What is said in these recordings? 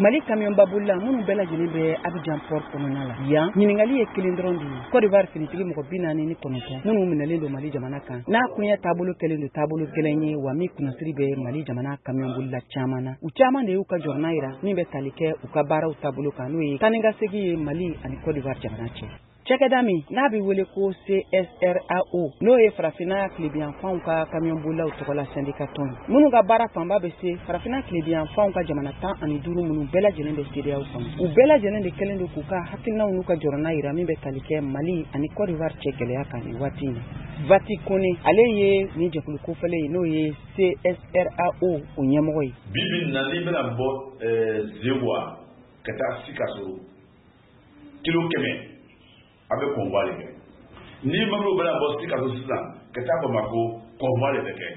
Mali kamiyɔnbabolila minnu bɛɛ lajɛlen bɛ Abidjan port kɔnɔna la, yan ɲininkali ye kelen dɔrɔn de ye: Côte d'Ivoire finitigi mɔgɔ 49 minnu minɛlen don Mali jamana kan, n'a koɲɛ taabolo kɛlen don taabolo gɛlɛn ye, wa min kunnasiri bɛ Mali jamana kamiyɔnbolila caman na. U caman de y'u ka jɔrɔna yira min bɛ tali kɛ u ka baaraw taabolo kan, n'o ye taa ni ka segin ye Mali ani Côte d'Ivoire jamana cɛ. Cakɛda min n'a bɛ wele ko CSRAO, n'o ye farafinna tilebiyanfanw ka kamiyɔnbolilaw tɔgɔla syndicat tɔn ye, minnu ka baara fanba bɛ se farafinna tilebiyanfanw ka jamana 15 minnu bɛɛ lajɛlen bɛ CEDEAO kɔnɔ, u bɛɛ lajɛlen de kɛlen don k'u ka hakilinaw n'u ka jɔrɔna yira min bɛ tali kɛ Mali ani Côte d'Ivoire cɛ gɛlɛya kan nin waati in na. Vati Kone, ale ye nin jɛkulu kofɔlen ye, n'o ye CSRAO o ɲɛmɔgɔ ye. Bi bi in na, n'i bɛna bɔ Zewa ka taa Sikaso, kilo 100, a bɛ convoi de kɛ. Ni mobili bɛna bɔ Sikaso sisan ka taa Bamako, convoi de bɛ kɛ.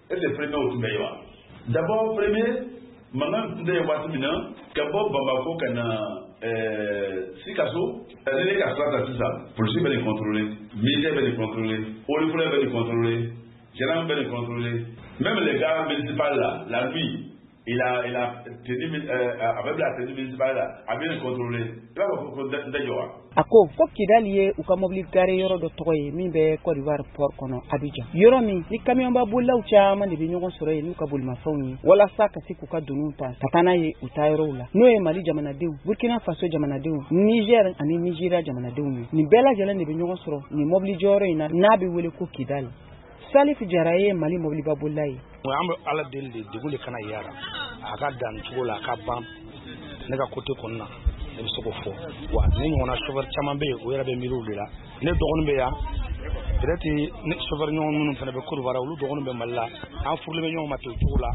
Est ce que premier o tun bɛ yen wa? D'abord, premier mankan tun tɛ yen waati min na, ka bɔ Bamako ka na Sikaso, ni ne ka sira ta sisan, polisi bɛ nin contrôler, militaire bɛ nin contrôler, eaux et forêts bɛ nin contrôler, gendarme bɛ nin contrôler, même les gars municipal là, la nuit, il a tenue, a bɛ bila tenue municipale la, a bɛ nin contrôler. I b'a fɔ ko n tɛ jɔ wa? A ko ko Kidali ye u ka mobili garer yɔrɔ dɔ tɔgɔ ye min bɛ Côte d'Ivoire port kɔnɔ Abidjan, yɔrɔ min ni kamiyɔnba bolilaw caman de bɛ ɲɔgɔn sɔrɔ yen n'u ka bolimafɛnw ye, walasa ka se k'u ka doniw ta ka taa n'a ye u taa yɔrɔw la, n'o ye Mali jamanadenw, Burkina Faso jamanadenw, Niger ani Nigeria jamanadenw ye. Nin bɛɛ lajɛlen de bɛ ɲɔgɔn sɔrɔ nin mobili jɔyɔrɔ in na, n'a bɛ wele ko Kidali. Salif Jara ye Mali mobiliba bolila ye. An bɛ Ala deli de, degun de kana yara, a ka dan cogo la, a ka ban. Ne ka côté kɔni na, ne bɛ se k'o fɔ wa. Ne ɲɔgɔnna chauffeur caman bɛ yen, o yɛrɛ bɛ miiri o de la. Ne dɔgɔnin bɛ yan, peut-être ne chauffeur ɲɔgɔn minnu fana bɛ Côte d'Ivoire, olu dɔgɔnin bɛ Mali la, an furulen bɛ ɲɔgɔn ma ten o cogo la.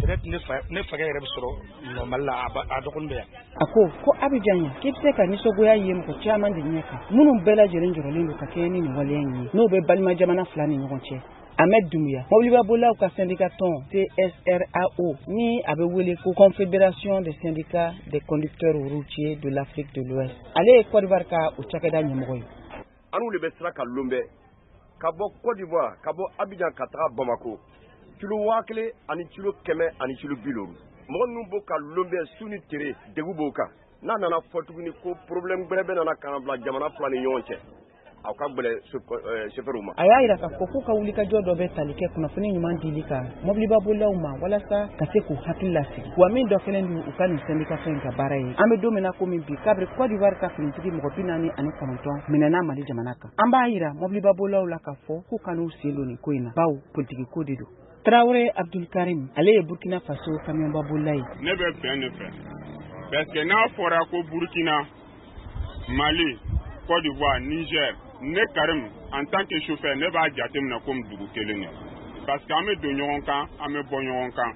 Peut-être ne fa, ne fakɛ yɛrɛ bɛ sɔrɔ Mali la, a dɔgɔnin bɛ yan. A ko ko Abidjan yan, k'i bɛ se ka nisɔngoya ye mɔgɔ caman de ɲɛ kan, minnu bɛɛ lajɛlen jɔrɔlen don ka kɛɲɛ ni nin waleya in ye, n'o bɛ balima jamana fila ni ɲɔgɔn cɛ. Ahmed Doumbia, mobilibabolilaw ka syndicat tɔn CSRAO, ni a bɛ wele ko Confédération des syndicats des conducteurs routiers de l'Afrique de l'Ouest, ale ye Côte d'Ivoire ka o cakɛda ɲɛmɔgɔ ye. An n'u de bɛ sira ka lon bɛɛ ka bɔ Côte d'Ivoire, ka bɔ Abidjan ka taga Bamako, kilo 1000 ani kilo 100 ani kilo 50. Mɔgɔ ninnu b'o ka lon bɛɛ su ni tere, degun b'o kan. N'a nana fɔ tuguni ko problème gbɛrɛ bɛ nana ka na bila jamana fila ni ɲɔgɔn cɛ, aw ka gbɛlɛ chauffeur ma. A y'a yira k'a fɔ k'u ka wulikajɔ dɔ bɛ tali kɛ kunnafoni ɲuman dili kan mobilibabolilaw ma, walasa ka se k'u hakili lasigi, wa min dɔ fɛnɛ don u ka nin syndicat in ka baara ye. An bɛ don min na komi bi, kabiri Côte d'Ivoire ka finitigi mɔgɔ 49 minɛna Mali jamana kan, an b'a yira mobilibabolilaw la k'a fɔ k'u kan'u sen don nin ko in na, bawo politiki ko de don. Traoré Abdulkarim, ale ye Burkina Faso kamiyɔnbabolila ye. Ne bɛ bɛn de fɛ, parce que n'a fɔra ko Burkina, Mali, Côte d'Ivoire, Niger, ne Karim, en tant que chauffeur, ne b'a jateminɛ komi dugu kelen de, parce que an bɛ don ɲɔgɔn kan, an bɛ bɔ ɲɔgɔn kan.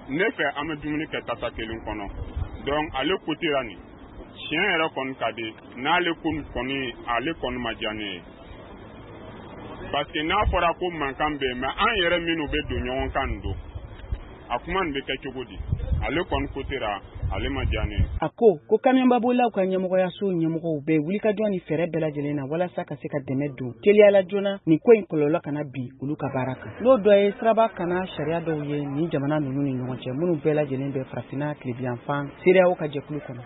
Ne fɛ, an bɛ dumuni kɛ tasa kelen kɔnɔ. Donc ale côté la, nin tiɲɛ yɛrɛ kɔni ka di n'ale ko kɔni, ale kɔni ma diya ne ye, parce que n'a fɔra ko mankan bɛ yen, mais an yɛrɛ minnu bɛ don ɲɔgɔn kan nin don, a kuma nin bɛ kɛ cogo di? Ale kɔni côté la, ale ma diya ne ye. A ko ko kamiyɔnbabolilaw ka ɲɛmɔgɔyaso ɲɛmɔgɔw bɛ wulikajɔ ni fɛɛrɛ bɛɛ lajɛlen na, walasa ka se ka dɛmɛ don teliyala joona, nin ko in kɔlɔlɔ kana bin olu ka baara kan, n'o dɔ ye siraba kana sariya dɔw ye nin jamana ninnu ni ɲɔgɔn cɛ, minnu bɛɛ lajɛlen bɛ farafinna tilebiyanfan CEDEAO ka jɛkulu kɔnɔ.